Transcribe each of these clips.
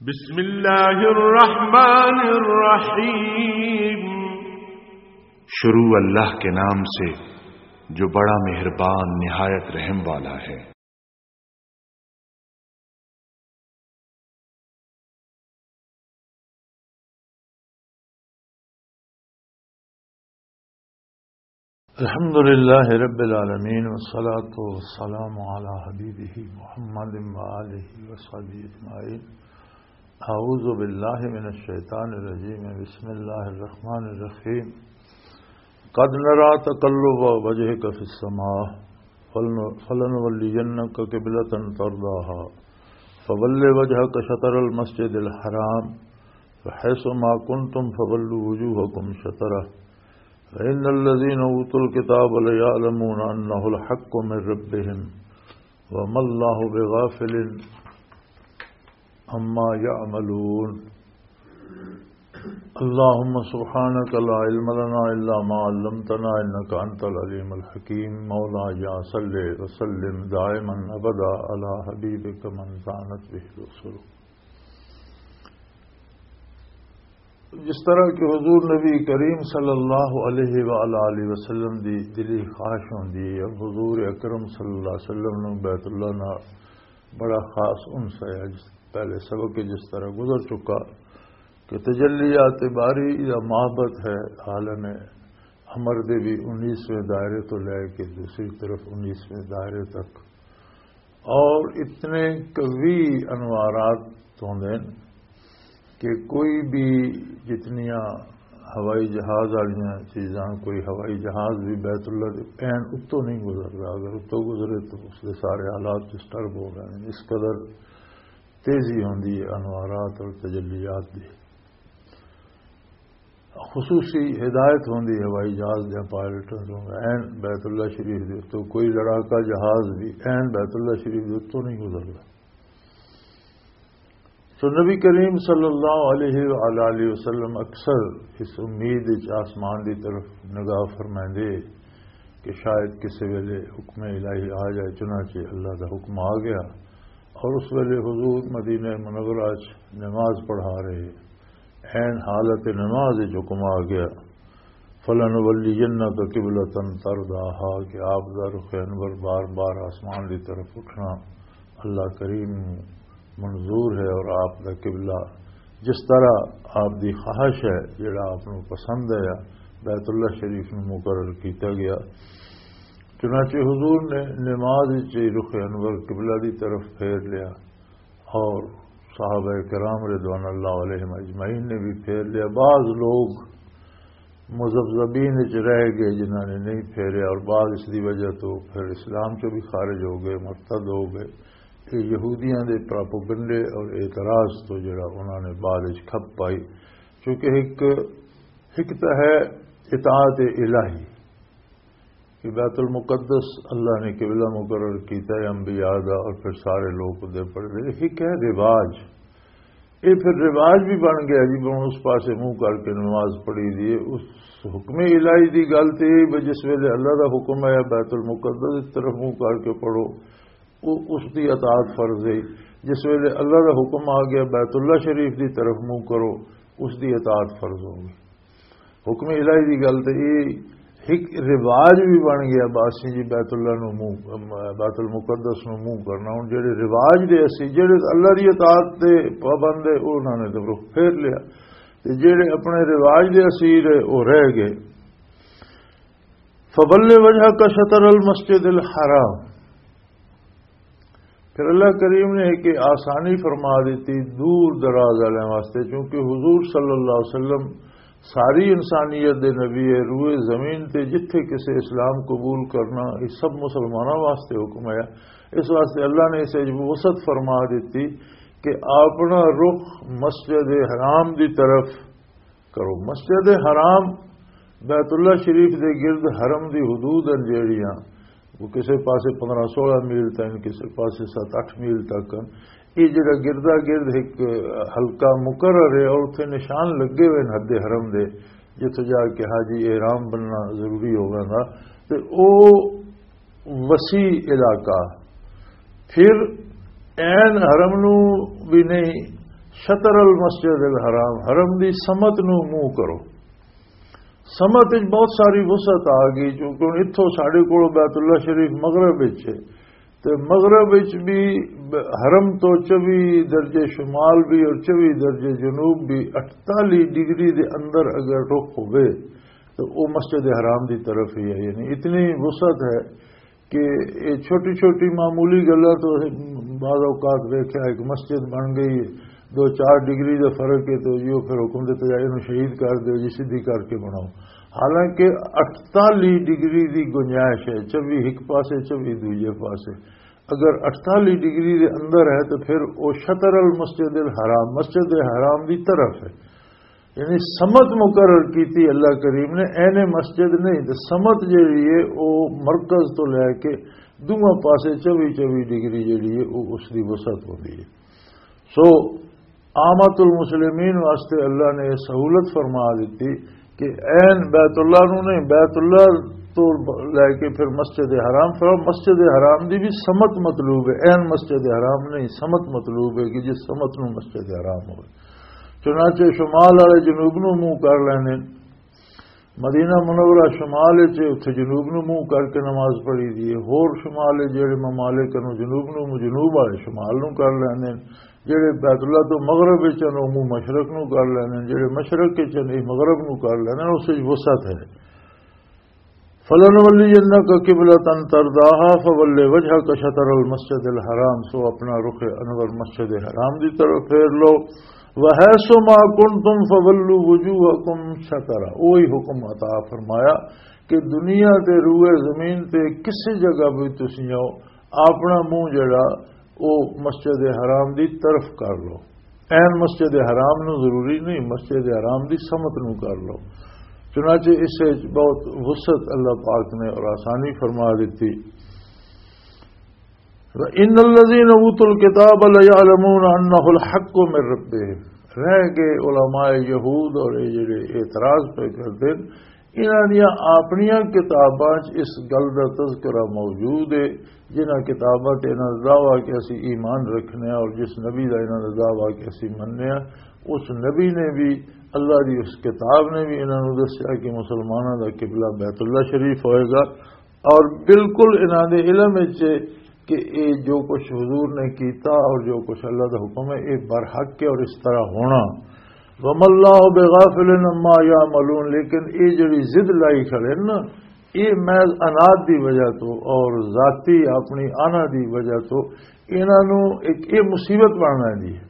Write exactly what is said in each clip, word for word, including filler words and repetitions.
بسم اللہ الرحمن الرحیم۔ شروع اللہ کے نام سے جو بڑا مہربان نہایت رحم والا ہے۔ الحمد لله رب العالمين، والصلاة والسلام على حبيبه محمد وآله وصحبه أجمعين۔ أعوذ بالله من الشيطان الرجيم، بسم الله الرحمن الرحيم۔ قد نرى تقلب وجهك في السماء، فلن-، فلنولينك قبلة ترضاها، فول وجهك شطر المسجد الحرام، فحيث ما كنتم فولوا وجوهكم شطره، فإن الذين أوتوا الكتاب ليعلمون أنه الحق من ربهم، وما الله بغافل عما يعملون۔ اللهم سبحانك لا علم لنا إلا ما علمتنا إنك أنت العليم الحكيم۔ مولاي صل وسلم دائما أبدا على حبيبك من زانت به الرسل۔ جس طرح کہ حضور نبی کریم صلی اللہ علیہ وآلہ وسلم دی دلی خواہش ہوندی ہے، اور حضور اکرم صلی اللہ علیہ وسلم نوں بیت اللہ نال بڑا خاص انس ہے۔ جس پہلے سبق جس طرح گزر چکا کہ تجلیات باری یا محبت ہے، عالم امر دے بھی انیسویں دائرے تو لے کے دوسری طرف انیسویں دائرے تک، اور اتنے قوی انوارات ہوندے نے کہ کوئی بھی، جتنیاں ہوائی جہاز والیاں چیزاں، کوئی ہوائی جہاز بھی بیت اللہ دے عین اتوں نہیں گزردا۔ اگر اتوں گزرے تو اس دے سارے حالات ڈسٹرب ہو گئے۔ اس قدر تیزی ہوندی ہے انوارات اور تجلیات دی۔ خصوصی ہدایت ہوندی ہوائی جہاز دے پائلٹاں نوں، عین بیت اللہ شریف دے اتوں کوئی لڑاکا جہاز بھی عین بیت اللہ شریف دے اتوں نہیں گزردا۔ تو نبی کریم صلی اللہ علیہ وآلہ وسلم اکثر اس امید وچ آسمان دی طرف نگاہ فرمائندے کہ شاید کسے ویلے حکم الہی آ جائے، چنانچہ اللہ دا حکم آ گیا اور اس ویلے حضور مدینہ منورہ وچ نماز پڑھا رہے، عین حالت نماز وچ حکم آ گیا، فلنولینک قبلۃ ترضاہا، کہ آپ دا رخ انور بار بار آسمان دی طرف اٹھنا اللہ کریم نوں منظور ہے، اور آپ دا قبلہ جس طرح آپ دی خواہش ہے، جڑا آپ نوں پسند ہے، بیت اللہ شریف نوں مقرر کیتا گیا۔ چنانچہ حضور نے نماز وچ رخ انور قبلہ دی طرف پھیر لیا، اور صحابہ کرام رضوان اللہ علیہم اجمعین نے بھی پھیر لیا۔ بعض لوگ مذبذبین وچ رہ گئے جنہاں نے نہیں پھیریا، اور بعض اس دی وجہ تو پھر اسلام چوں بھی خارج ہو گئے، مرتد ہو گئے۔ یہ یہودیاں دے پراپوگنڈے اور اعتراض تو جڑا انہاں نے بعد وچ کھپ پائی، کیونکہ ایک، ایک تو ہے اطاعت الہی، کہ بیت المقدس اللہ نے قبلہ مقرر کیتا ہے انبیاء دا، اور پھر سارے لوگ ادھر پڑھدے۔ ایک ہے رواج، یہ پھر رواج بھی بن گیا جی، بن اس پاسے منہ کر کے نماز پڑھی دی ہے۔ اس حکم الہی دی گل تے یہ بھی جس ویلے اللہ دا حکم ہے بیت المقدس کی طرف منہ کر کے پڑھو، وہ اس دی اطاعت فرض ہے۔ جس ویلے اللہ دا حکم آ گیا بیت اللہ شریف دی طرف منہ کرو، اس دی اطاعت فرض ہو گئی۔ حکم الہی دی گل تے یہ ایک رواج بھی بن گیا، باسی جی بیت اللہ نو منہ، بیت المقدس نو منہ کرنا۔ ہن جڑے رواج دے اسی، جڑے اللہ دی اطاعت دے پابند ہے، انہاں نے تے رخ پھیر لیا، تے جڑے اپنے رواج دے اسیر ہے، وہ رہ گئے۔ فول وجهك شطر المسجد الحرام۔ پھر اللہ کریم نے ایک آسانی فرما دیتی دور دراز والے واسطے، چونکہ حضور صلی اللہ علیہ وسلم ساری انسانیت دے نبی ہے، روئے زمین تے جتھے کسے اسلام قبول کرنا، یہ سب مسلمانوں واسطے حکم ہے۔ اس واسطے اللہ نے اسے وسعت فرما دیتی کہ اپنا رخ مسجد حرام دی طرف کرو۔ مسجد حرام بیت اللہ شریف دے گرد حرم دی حدود ہیں جیڑیاں، وہ کسے پاسے پندرہ سولہ میل تک، کسے پاسے ست اٹھ میل تک ہیں۔ یہ جڑا گردا گرد ایک حلقہ مقرر ہے اور اتھے نشان لگے ہوئے ہیں حد حرم دے، جتھے جا کے حاجی احرام بننا ضروری ہوگا نا۔ تے او وسیع علاقہ۔ پھر عین حرم نو بھی نہیں، شطر المسجد الحرام، حرم دی سمت نو منہ کرو۔ سمت وچ بہت ساری وسعت آ گئی، کیونکہ ہن اتھوں ساڈے کول بیت اللہ شریف مغرب وچ ہے، تے مغرب وچ بھی حرم تو چوبی درجے شمال بھی اور چوبی درجے جنوب بھی، اٹتالی ڈگری دے اندر اگر رخ ہوئے تو وہ مسجد حرام دی طرف ہی ہے۔ یعنی اتنی وسعت ہے کہ یہ چھوٹی چھوٹی معمولی گلاں تو بعض اوقات ویکھیا، ایک مسجد بن گئی، دو چار ڈگری دا فرق ہے، تو یہ پھر حکم دے تے جائے، انہوں شہید کر دے جی، سیدھی کر کے بناؤ۔ حالانکہ اٹتالی ڈگری دی گنجائش ہے، چوبی ایک پاسے، چوبی دوجے پاسے۔ اگر اٹتالی ڈگری دے اندر ہے تو پھر وہ شطر المسجد الحرام، مسجد حرام دی طرف ہے۔ یعنی سمت مقرر کیتی اللہ کریم نے، اینے مسجد نہیں، تے سمت جیڑی ہے، او مرکز تو لے کے دوواں پاسے چوبی چوبی ڈگری جیڑی ہے، او اس دی وسعت ہوندی ہے۔ سو عامت المسلمین واسطے اللہ نے یہ سہولت فرما دیتی کہ این بیت اللہ نو نہیں، بیت اللہ تو لے کے پھر مسجد حرام، پھر مسجد حرام دی بھی سمت مطلوب ہے، این مسجد حرام نہیں، سمت مطلوب ہے کہ جس سمت نو مسجد حرام ہوئے۔ چنانچہ شمال والے جنوب نو منہ کر لینے، مدینہ منورہ شمال وچ ہے، اتھے جنوب نو منہ کر کے نماز پڑھی دی ہے۔ ہور شمال وچ جڑے ممالک نو جنوب نو، جنوب والے شمال نو کر لیندے نے، جڑے بیت اللہ تو مغرب وچ ہن، او منہ مشرق نو کر لیندے نے، جڑے مشرق وچ ہن، اے مغرب نو کر لیندے نے، اس وچ وسعت ہے۔ فَلَنُوَلِّيَنَّكَ قِبْلَةً تَرْضَاهَا فَوَلِّ وَجْهَكَ شَطْرَ الْمَسْجِدِ الْحَرَامِ، سو اپنا رخ انور مسجد حرام دی طرف پھیر لو۔ وَحَيْثُ مَا كُنْتُمْ فَوَلُّوا وُجُوهَكُمْ شَطْرَهُ، وہی حکم عطا فرمایا کہ دنیا تے روئے زمین تے کسی جگہ بھی تسی آؤ، اپنا منہ جڑا او مسجد حرام دی طرف کر لو۔ این مسجد حرام نو ضروری نہیں، مسجد حرام دی سمت نو کر لو۔ چنانچہ اس وچ بہت وسعت اللہ پاک نے اور آسانی فرما دیتی۔ وَإِنَّ الَّذِينَ أُوتُوا الْكِتَابَ لَيَعْلَمُونَ أَنَّهُ الْحَقُّ مِنْ رَبِّهِمْ۔ رہ گئے علماء یہود اور یہ جڑے اعتراض پہ کرتے ہیں، انہاں دیاں اپنیاں کتاباں 'چ اس گل دا تذکرہ موجود ہے، جنہاں کتاباں تے انہاں دا دعویٰ کہ اسی ایمان رکھنے ہیں اور جس نبی دا انہاں دا دعویٰ کہ اسی مننے ہیں، اس نبی نے بھی، اللہ دی اس کتاب نے بھی انہاں نوں دسیا کہ مسلماناں دا قبلہ بیت اللہ شریف ہوئے گا۔ اور بالکل انہاں دے علم وچ ہے کہ اے جو کچھ حضور نے کیتا اور جو کچھ اللہ دا حکم ہے، اے برحق ہے اور اس طرح ہونا۔ وَمَا اللَّهُ بِغَافِلٍ عَمَّا يَعْمَلُونَ، لیکن اے جڑی ضد لائی کھڑے نا، اے محض اناد دی وجہ تو اور ذاتی اپنی آنا دی وجہ تو انہاں نوں ایک اے مصیبت بننا دی ہے۔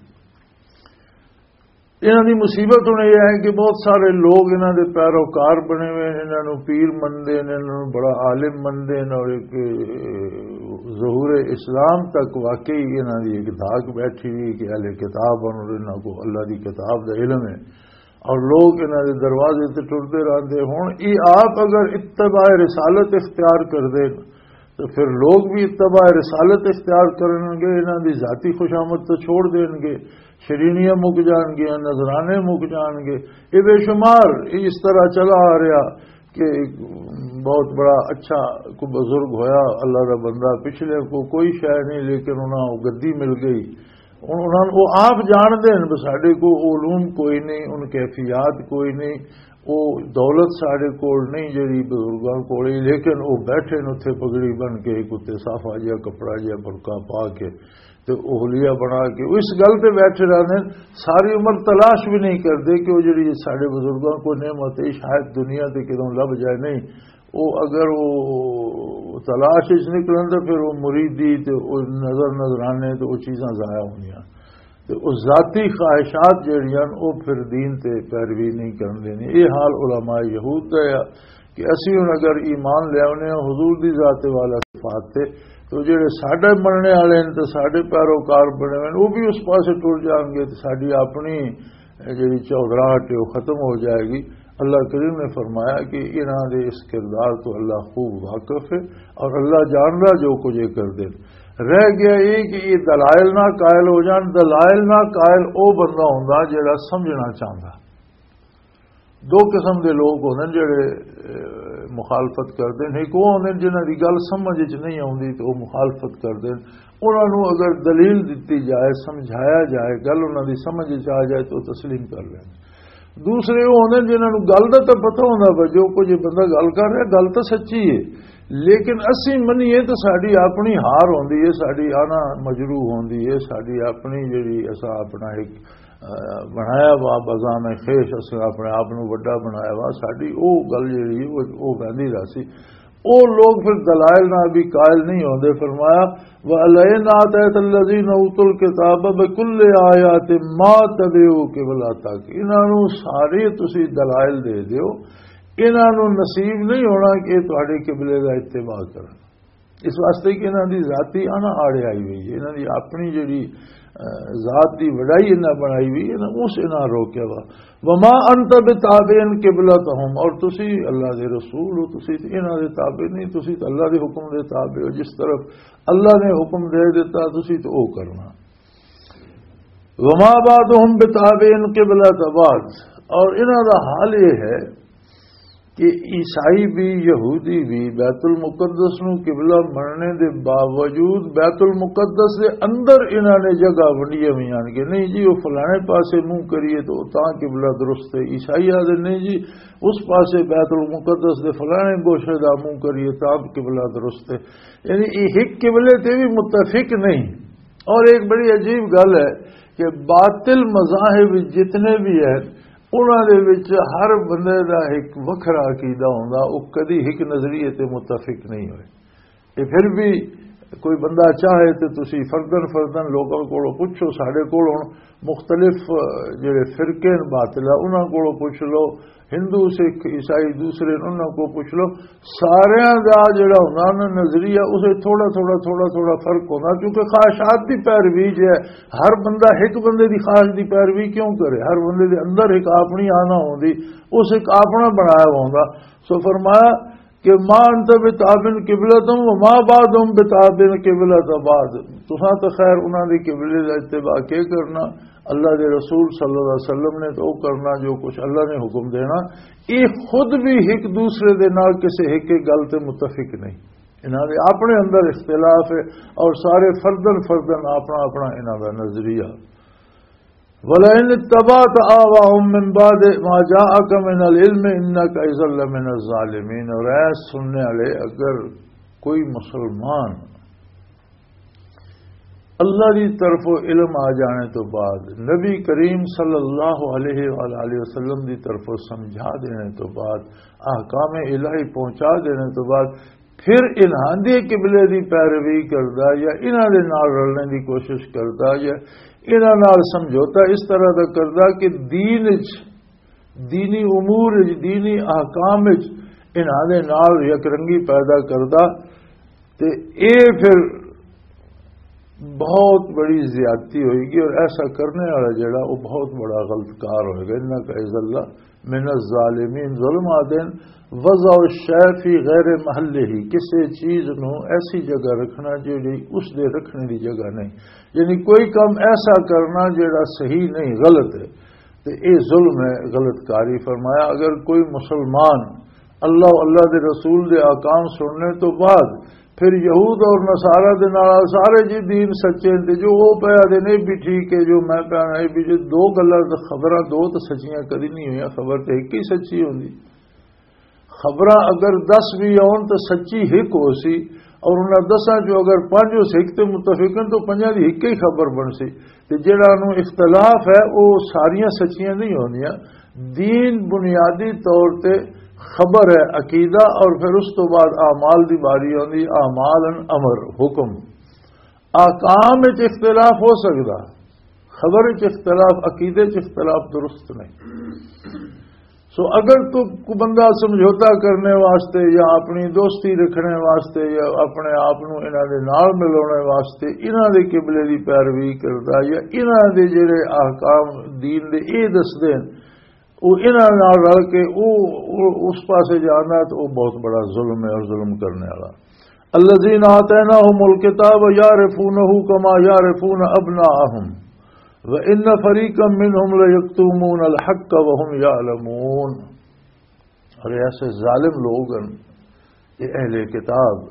انہاں دی مصیبت ہن یہ ہے کہ بہت سارے لوگ انہاں دے پیروکار بنے ہوئے ہیں، انہاں نوں پیر منندے نے، انہاں نوں بڑا عالم منندے نے، اور ایک ظہور اسلام تک واقعی انہاں دی ایک دھاک بیٹھی ہوئی کہ اہل کتاب ہن اور انہاں کو اللہ دی کتاب دا علم ہے، اور لوگ انہاں دے دروازے تے ٹردے رہندے۔ ہن یہ آپ اگر اتباع رسالت اختیار کر دے تو پھر لوگ بھی اتباع رسالت اختیار کرن گے، انہاں دی ذاتی خوشامد تو چھوڑ دین گے، شرینیاں مک جان گیاں، نذرانے مک جان گے۔ یہ بے شمار، یہ اس طرح چلا آ رہا کہ بہت بڑا اچھا کوئی بزرگ ہویا، اللہ دا بندہ، پچھلے کو کوئی شے نہیں، لیکن انہاں کو گدی مل گئی۔ ہن انہاں نوں، او آپ جانتے ہیں بھی ساڈے کو علوم کوئی نہیں، ان کیفیات کوئی نہیں، او دولت ساڈے کول نہیں جڑی بزرگاں کول ہے، لیکن او بیٹھے نے اتھے پگڑی بن کے، ایک اتھے صافا جہا کپڑا جہا برقع پا کے، تے او حلیہ بنا کے، او اس گل تے بیٹھے رہندے نے، ساری عمر تلاش بھی نہیں کردے کہ او جڑی ساڈے بزرگاں کو نعمت ہے، شاید دنیا تے کدوں لب جائے نہیں۔ او اگر او تلاش وچ نکلن تے پھر او مریدی تے او نظر نظرانے تے او چیزاں ضائع ہونیاں۔ تے او ذاتی خواہشات جڑیاں او پھر دین تے پیروی نہیں کرن دینی۔ اے حال علماء یہود دا ہے کہ اسی ہن اگر ایمان لے آونے ہاں حضور دی ذات والا صفات تے، تو جڑے ساڈے مننے والے ہیں تے ساڈے پیروکار بنے ہوئے ہیں، او بھی اس پاسے ٹر جان گے تے ساڈی اپنی جڑی چودراہٹ ہے، وہ ختم ہو جائے گی۔ اللہ کریم نے فرمایا کہ انہاں دے اس کردار تو اللہ خوب واقف ہے اور اللہ جاندا جو کچھ یہ کردے۔ رہ گیا یہ کہ یہ دلائل نہ قائل ہو جان۔ دلائل نہ قائل او بندہ ہوندا جڑا سمجھنا چاہندا۔ دو قسم دے لوگ ہوندے نے جڑے، اے، مخالفت کردے نے، ایک وہ ہوندے نے جنہاں دی گل سمجھ وچ نہیں آوندی تے وہ مخالفت کردے نے۔ انہاں نوں اگر دلیل دتی جائے، سمجھایا جائے، گل انہاں دی سمجھ وچ آ جائے تو تسلیم کر لین۔ دوسرے وہ ہوندے نے جنہاں نوں گل دا تاں پتہ ہوندا، پر جو کچھ یہ بندہ گل کر رہا، گل تاں سچی ہے، لیکن اسی منیے تو ساڈی اپنی ہار ہوندی ہے، ساڈی آنا مجروح ہوندی ہے، ساڈی اپنی جڑی اساں اپنا ایک، آ، بنایا وا بزام خیش، اساں اپنے آپ نوں وڈا بنایا وا، ساڈی او گل جڑی ہے، او، او ویندی رہسی۔ او لوگ پھر دلائل نال بھی قائل نہیں ہوندے۔ فرمایا، "وَلَئِنْ آتَيْتَ الَّذِينَ أُوتُوا الْكِتَابَ بِكُلِّ آيَةٍ مَا تَبِعُوا قِبْلَتَكَ۔" انہاں نوں سارے تسی دلائل دے دیو، انہاں نوں نصیب نہیں ہونا کہ یہ تہاڈے قبلے دا اتباع کرن۔ اس واسطے کہ انہاں دی ذاتی انا آڑے آئی ہوئی ہے، انہاں دی اپنی جڑی، آ، ذات دی وڈائی انہاں بنائی ہوئی ہے نا، اس انہاں روکیا وا۔ "وما انت بتابع قبلتہم"، اور تسی اللہ دے رسول ہو، تسی تے انہاں دے تابع نہیں، تسی تے اللہ دے حکم دے تابع ہو۔ جس طرف اللہ نے حکم دے دیتا، تسی تے او کرنا۔ "وما بعضهم بتابع قبلة بعض"، اور انہاں دا حال یہ ہے کہ عیسائی بھی، یہودی بھی بیت المقدس نو قبلہ مننے دے باوجود بیت المقدس دے اندر انہاں نے جگہ ونڈیاں ہوئی آن کے، "نہیں جی، وہ فلانے پاسے منہ کریے تو تاں قبلہ درست ہے۔" عیسائی آدھے، "نہیں جی، اس پاسے بیت المقدس دے فلانے گوشے دا منہ کریے تاں قبلہ درست ہے۔" یعنی یہ ایک قبلے تے بھی متفق نہیں۔ اور ایک بڑی عجیب گل ہے کہ باطل مذاہب جتنے بھی ہیں، انہاں دے وچ ہر بندے دا ایک وکھرا عقیدہ ہوندا، او کدی ایک نظریے تے متفق نہیں ہوئے۔ تے پھر بھی کوئی بندہ چاہے تے تسی فردن فردن لوکاں کولوں پوچھو، ساڈے کول ہن مختلف، آ، جڑے فرقے ہیں باطل، انہاں کولوں پوچھ لو، ہندو، سکھ، عیسائی، دوسرے، انہاں کو پوچھ لو، ساریاں دا جڑا ہوندا نا نظریہ، اسے تھوڑا تھوڑا، تھوڑا تھوڑا فرق ہوندا، کیونکہ خواہشات دی پیروی جو ہے، ہر بندہ ایک بندے دی خواہش دی پیروی کیوں کرے؟ ہر بندے دے اندر ایک اپنی آنا ہوندی، اس ایک اپنا بنایا ہوندا۔ سو فرمایا کہ "ما انت بتابع قبلتہم وما بعضهم بتابع قبلة بعض"، تساں تو خیر انہاں دے قبلے دا اتباع کے کرنا، اللہ دے رسول صلی اللہ علیہ وسلم نے تو کرنا جو کچھ اللہ نے حکم دینا، یہ خود بھی ایک دوسرے دے نال کسے ایک ایک گل تے متفق نہیں۔ انہاں دے اپنے اندر اختلاف ہے اور سارے فردن فردن اپنا اپنا انہاں دا نظریہ۔ "ولئن اتبعت اهواءهم من بعد ما جاءك من العلم انك اذا لمن الظالمين۔" اور اے سننے والے، اگر کوئی مسلمان اللہ دی طرف علم آ جانے تو بعد، نبی کریم صلی اللہ علیہ وآلہ وسلم دی طرف سمجھا دینے تو بعد، احکام الہی پہنچا دینے تو بعد، پھر انہاں دے قبلے دی پیروی کردا یا انہاں دے نال رلنے دی کوشش کردا یا انہاں نال سمجھوتا اس طرح دا کردا کہ دین وچ، دینی امور وچ، دینی احکام وچ انہاں دے نال یک رنگی پیدا کردا، تے اے پھر بہت بڑی زیادتی ہوئے گی، اور ایسا کرنے والا جڑا، وہ بہت بڑا غلط کار ہوئے گا۔ "انک اذا لمن الظالمین"، ظلم آدن وضع الشیء فی غیر محلہ، کسی چیز نو ایسی جگہ رکھنا جڑی اس دے رکھنے دی جگہ نہیں، یعنی کوئی کم ایسا کرنا جڑا صحیح نہیں، غلط ہے۔ تے اے ظلم ہے، غلط کاری۔ فرمایا، اگر کوئی مسلمان اللہ و اللہ دے رسول دے احکام سننے تو بعد پھر یہود اور نصارہ دے نال سارے جی دین سچے ہیں، تے جو وہ پیا دے نہیں بھی ٹھیک ہے، جو میں پیا نہیں بھی، جو دو گلاں تے خبراں دو تے سچیاں کدی نہیں ہوئیاں، خبر تے ایک ہی سچی ہوندی۔ خبراں اگر دس بھی آن تے سچی ایک ہو سی، اور انہاں دساں چوں اگر پنج اس ایک تے متفق ہیں تو پنجاں دی ایک ہی خبر بن سی۔ تے جڑا نوں اختلاف ہے، وہ ساریاں سچیاں نہیں ہوندیاں۔ دین بنیادی طور تے خبر ہے، عقیدہ، اور پھر اس تو بعد اعمال دی باری ہوندی، اعمال ان امر، حکم۔ احکام وچ اختلاف ہو سکدا، خبر وچ اختلاف، عقیدے وچ اختلاف درست نہیں۔ سو اگر تو کو بندہ سمجھوتا کرنے واسطے یا اپنی دوستی رکھنے واسطے یا اپنے آپ نو انہاں دے نال ملاونے واسطے انہاں دے قبلے دی پیروی کردا یا انہاں دے جڑے احکام دین دے اے دسدے ہیں، او انہاں نال رل کے او، او اس پاسے جاندا ہے تو او بہت بڑا ظلم ہے اور ظلم کرنے والا۔ الذین آتیناہم الکتاب یعرفونہ کما یعرفون ابناءہم وان فریقا منہم لیکتمون الحق وہم یعلمون۔ اور ایسے ظالم لوگ ہیں، یہ اہل کتاب،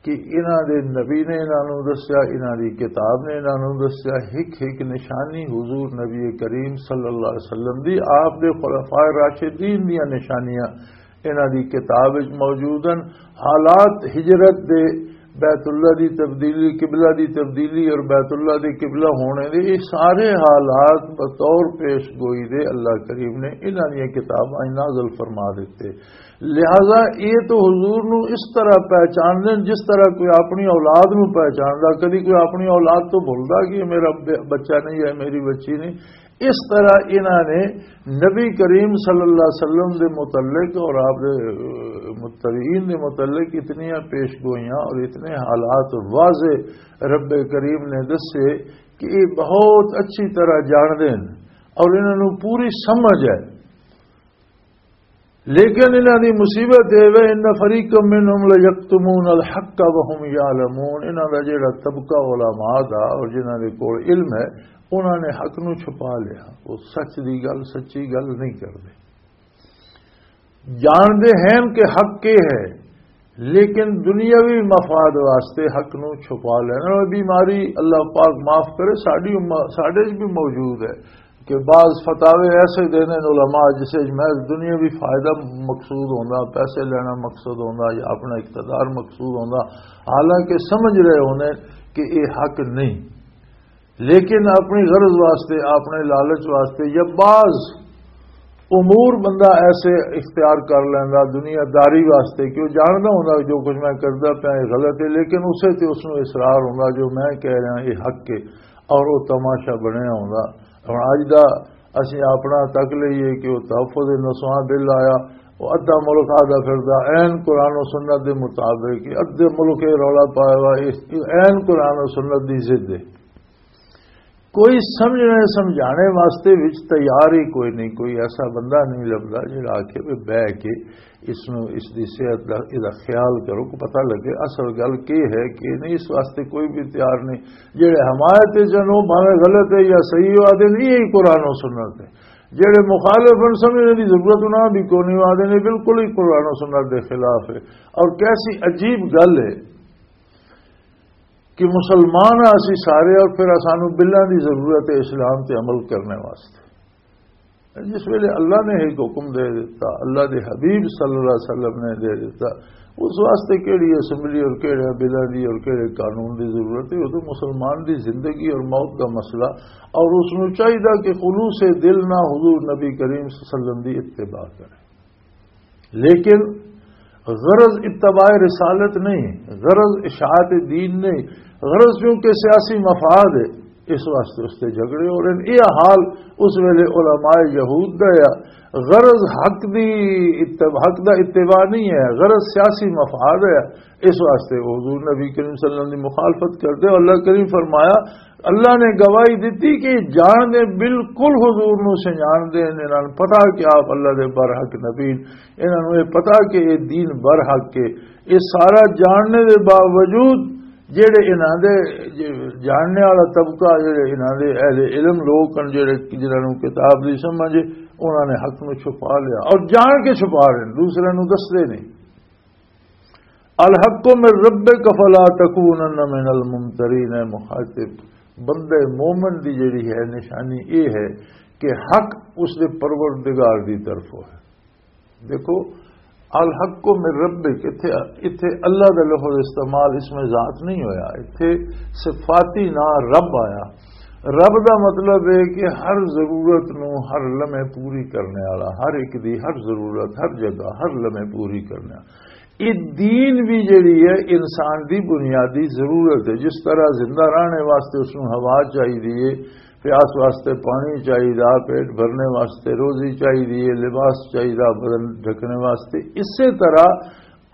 کہ انہاں دے نبی نے انہاں نوں دسیا، انہاں دی کتاب نے انہاں نوں دسیا، ہک ہک نشانی حضور نبی کریم صلی اللہ علیہ وسلم دی، آپ دے خلفائے راشدین دیاں نشانیاں انہاں دی کتاب وچ موجود ہیں۔ حالات ہجرت دے، بیت اللہ دی تبدیلی، قبلہ دی تبدیلی اور بیت اللہ دے قبلہ ہونے دے، یہ سارے حالات بطور پیش گوئی دے اللہ کریم نے انہاں دیاں کتاباں نازل فرما دیتے۔ لہذا یہ تو حضور نو اس طرح پہچان لین جس طرح کوئی اپنی اولاد نو پہچاندا۔ کدی کوئی اپنی اولاد تو بھولدا کہ یہ میرا ب-، بچہ نہیں ہے، میری بچی نہیں۔ اس طرح انہاں نے نبی کریم صلی اللہ علیہ وسلم دے متعلق اور آپ دے، اہ، متبعین دے متعلق اتنی پیش گوئیاں اور اتنے حالات واضح رب کریم نے دسے کہ یہ بہت اچھی طرح جان دین اور انہاں نو پوری سمجھ ہے۔ لیکن انہاں دی مصیبت اے وے، ان فریقا منهم لیکتمون الحق وهم یعلمون، انہاں دا جڑا طبقہ علماء دا اور جنہاں دے کول علم ہے، انہاں نے حق نو چھپا لیا۔ وہ سچ دی گل، سچی گل نہیں کردے۔ جاندے ہیں کہ حق کے ہے، لیکن دنیاوی مفاد واسطے حق نو چھپا لینا۔ اور بیماری، اللہ پاک معاف کرے، ساڈی امت، ساڈے وچ بھی موجود ہے کہ بعض فتاوے ایسے دینے نے علماء جسے وچ محض دنیاوی فائدہ مقصود ہوندا، پیسے لینا مقصود ہوندا یا اپنا اقتدار مقصود ہوندا، حالانکہ سمجھ رہے ہونے کہ یہ حق نہیں، لیکن اپنی غرض واسطے، اپنے لالچ واسطے یا بعض امور بندہ ایسے اختیار کر لیندا دنیا داری واسطے کہ وہ جاندا ہوندا کہ جو کچھ میں کردا پیا یہ غلط ہے، لیکن اسے تے اس نوں اصرار ہوندا جو میں کہہ رہا یہ حق ہے، اور وہ تماشا بنیا ہوندا۔ ہن اج دا اسی اپنا تک لئیے کہ وہ تحفظ نسواں بل آیا، وہ ادھا ملک آدھا پھردا عین قرآن و سنت دے مطابق، ادھے ملک یہ رولا پایا ہوا، اس عین قرآن و سنت دی ضد ہے۔ کوئی سمجھنے سمجھانے واسطے وچ تیار ہی کوئی نہیں، کوئی ایسا بندہ نہیں لبدا جڑا آکھے بھی بہ کے اس نو، اس دی صحت دا، اس دا خیال کرو، کو پتہ لگے اصل گل کی ہے کہ نہیں۔ اس واسطے کوئی بھی تیار نہیں۔ جڑے حمایت وچ ہن، او بھاویں غلط ہے یا صحیح ہو، آدھے نہیں، یہی قرآن و سنت ہے۔ جڑے مخالف ہن، سمجھنے دی ضرورت انہاں دی کوئی نہیں، آدھے نہیں، بالکل ہی قرآن و سنت دے خلاف ہے۔ اور کیسی عجیب گل ہے کہ مسلمان آ اسی سارے، اور پھر سانو بلاں دی ضرورت ہے اسلام تے عمل کرنے واسطے۔ جس ویلے اللہ نے ایک حکم دے دیتا، اللہ دے حبیب صلی اللہ علیہ وسلم نے دے دیتا، اس واسطے کیڑی اسمبلی اور کیڑے بلاں دی اور کیڑے قانون دی ضرورت ہے؟ وہ تو مسلمان دی زندگی اور موت دا مسئلہ، اور اس نو چاہیدا کہ خلوص دل نہ حضور نبی کریم صلی اللہ علیہ وسلم دی اتباع کرے۔ لیکن غرض اتباع رسالت نہیں، غرض اشاعت دین نہیں، غرض چونکہ سیاسی مفاد ہے، اس واسطے اس تے جھگڑے ہو رہے ہیں۔ یہ حال اس ویلے علماء یہود دا ہے۔ غرض حق دی اتب-، حق دا اتباع نہیں ہے، غرض سیاسی مفاد ہے۔ اس واسطے حضور نبی کریم صلی اللہ علیہ وسلم دی مخالفت کردے۔ اللہ کریم فرمایا، اللہ نے گواہی دتی کہ جان دے بالکل حضور نو سنجان دے، انہاں نوں پتہ کہ آپ اللہ دے برحق نبی، انہاں نوں یہ پتہ کہ یہ دین برحق ہے۔ یہ سارا جاننے دے باوجود جڑے انہاں دے، جے جاننے والا طبقہ، جڑے انہاں دے اہل علم لوگ ہن، جڑے جنہاں نوں کتاب دی سمجھ ہے، انہاں نے حق نوں چھپا لیا اور جان کے چھپا رہے ہیں، دوسرے نوں دسدے نہیں۔ الحق من ربک فلا تکونن من الممترین۔ اے مخاطب، بندے مومن دی جڑی ہے نشانی یہ ہے کہ حق اس دے پروردگار دی طرفوں ہے۔ دیکھو، الحق من ربک، اتھے، اتھے اللہ دا لفظ استعمال اس میں ذات نہیں ہویا، اتھے صفاتی نام رب آیا۔ رب دا مطلب ہے کہ ہر ضرورت نو ہر لمحے پوری کرنے والا، ہر ایک دی ہر ضرورت، ہر جگہ، ہر لمحے پوری کرنے والا۔ یہ دین بھی جڑی ہے انسان دی بنیادی ضرورت ہے۔ جس طرح زندہ رہنے واسطے اس نو ہوا چاہیے، پیاس واسطے پانی چاہیے، پیٹ بھرنے واسطے روزی چاہیے، لباس چاہیے، بدن ڈھکنے واسطے، اسی طرح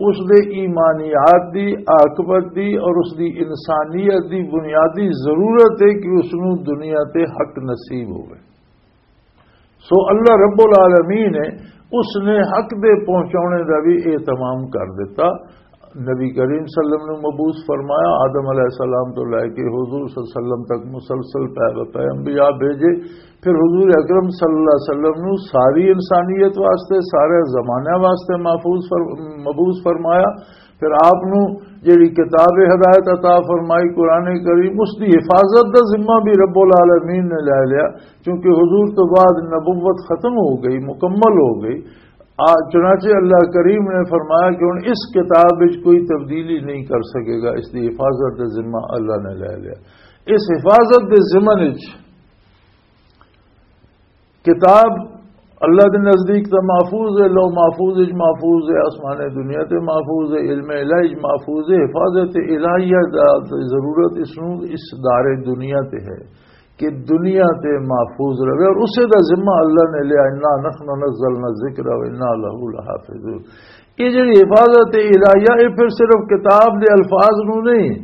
اس دے ایمانیات دی، عاقبت دی اور اس دی انسانیت دی بنیادی ضرورت ہے کہ اس نو دنیا تے حق نصیب ہوئے۔ سو اللہ رب العالمین نے اس نے حق دے پہنچانے دا بھی اہتمام کر دیتا۔ نبی کریم صلی اللہ علیہ وسلم نو مبعوث فرمایا، آدم علیہ السلام تو لے کے حضور صلی اللہ علیہ وسلم تک مسلسل پے بہ پے انبیاء بھیجے۔ پھر حضور اکرم صلی اللہ علیہ وسلم نو ساری انسانیت واسطے، سارے زمانے واسطے محفوظ فر-، مبعوث فرمایا۔ پھر آپ نو جڑی کتاب ہدایت عطا فرمائی، قرآن کریم، اس دی حفاظت دا ذمہ بھی رب العالمین نے لے لیا، کیونکہ حضور تو بعد نبوت ختم ہو گئی، مکمل ہو گئی۔ آ، چنانچہ اللہ کریم نے فرمایا کہ ہن اس کتاب وچ کوئی تبدیلی نہیں کر سکے گا، اس دی حفاظت دا ذمہ اللہ نے لے لیا۔ اس حفاظت دے ذمہ وچ کتاب اللہ دے نزدیک تے محفوظ ہے، لوح محفوظ وچ محفوظ ہے، آسمان دنیا تے محفوظ ہے، علم الہی وچ محفوظ ہے۔ حفاظت الہیہ دا ضرورت اس نوں اس دار دنیا تے ہے کہ دنیا تے محفوظ رہے، اور اسے دا ذمہ اللہ نے لیا، انا نحن نزلنا الذکر و انا لہ لحافظون۔ یہ جڑی حفاظت الہیہ، یہ پھر صرف کتاب دے الفاظ نوں نہیں،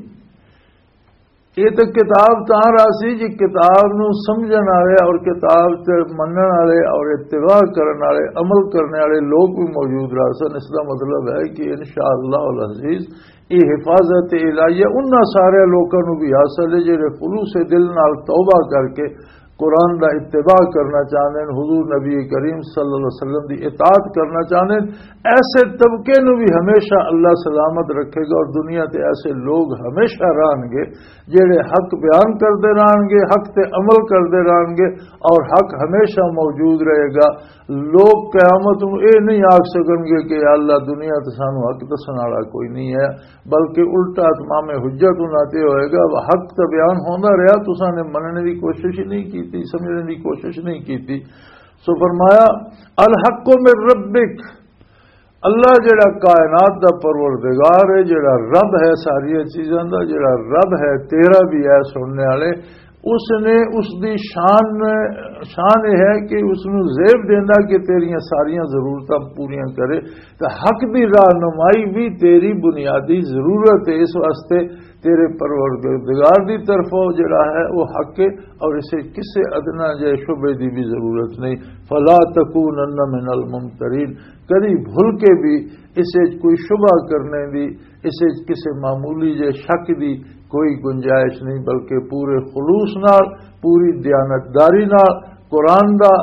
یہ تے کتاب تاں راسی جی کتاب نوں سمجھن والے اور کتاب تے منن والے اور اتباع کرن والے، عمل کرنے والے لوگ بھی موجود رہ سن۔ اس دا مطلب ہے کہ انشاءاللہ العزیز یہ حفاظت الہیہ انہاں سارے لوکاں نوں بھی حاصل ہے جڑے خلوص دل نال توبہ کر کے قرآن دا اتباع کرنا چاہندے ہیں، حضور نبی کریم صلی اللہ علیہ وسلم دی اطاعت کرنا چاہندے ہیں۔ ایسے طبقے نوں بھی ہمیشہ اللہ سلامت رکھے گا اور دنیا تے ایسے لوگ ہمیشہ رہن گے جڑے حق بیان کردے رہن گے، حق تے عمل کردے رہن گے اور حق ہمیشہ موجود رہے گا۔ لوگ قیامت نوں اے نہیں آکھ سکن گے کہ یا اللہ، دنیا تے سانوں حق دسن والا کوئی نہیں ہے، بلکہ الٹا اتمام حجت انہاں تے ہوئے گا، حق تے بیان ہوندا رہیا، تساں نے مننے دی کوشش ہی نہیں کیتی، سمجھنے دی کوشش نہیں کیتی۔ سو فرمایا، الحق من ربک، اللہ جڑا کائنات دا پروردگار ہے، جڑا رب ہے ساری چیزاں دا، جڑا رب ہے تیرا بھی ہے سننے والے، اس نے، اس دی شان، شان یہ ہے کہ اس نوں زیب دیندا کہ تیریاں ساریاں ضرورتاں پوریاں کرے۔ تے حق دی رہنمائی بھی تیری بنیادی ضرورت ہے، اس واسطے تیرے پروردگار دی طرفوں جڑا ہے وہ حق ہے، اور اسے کسے ادنا جے شبے دی بھی ضرورت نہیں۔ فلا تکونن من الممترین، کدی بھول کے بھی اسے کوئی شبہ کرنے دی، اسے کسے معمولی جے شک دی کوئی گنجائش نہیں، بلکہ پورے خلوص نال، پوری دیانتداری نال قرآن دا،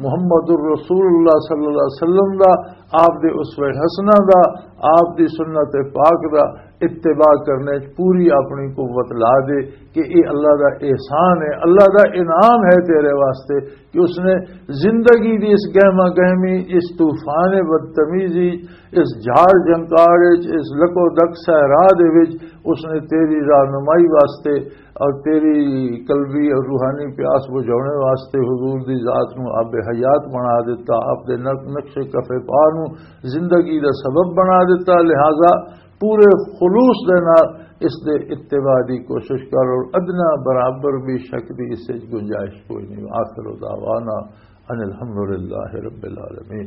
محمد الرسول اللہ صلی اللہ علیہ وسلم دا، آپ دے اسوہ حسنہ دا، آپ دی سنت پاک دا اتباع کرنے وچ پوری اپنی قوت لا دے کہ اے اللہ دا احسان ہے، اللہ دا انعام ہے تیرے واسطے کہ اس نے زندگی دی اس گہما گہمی، اس طوفان بدتمیزی، اس جھاڑ جھنکار وچ، اس لکو دک صحرا دے وچ اس نے تیری رہنمائی واسطے اور تیری قلبی اور روحانی پیاس بجھانے واسطے حضور دی ذات نو آب حیات بنا دیتا، آپ دے نق-، نقش کفے پا نو زندگی دا سبب بنا دیتا۔ لہذا پورے خلوص دے نال اس دے اتباع دی کوشش کر اور ادنا برابر بھی شک دی اس وچ گنجائش کوئی نہیں۔ آخر دعوانا ان الحمدللہ رب العالمین۔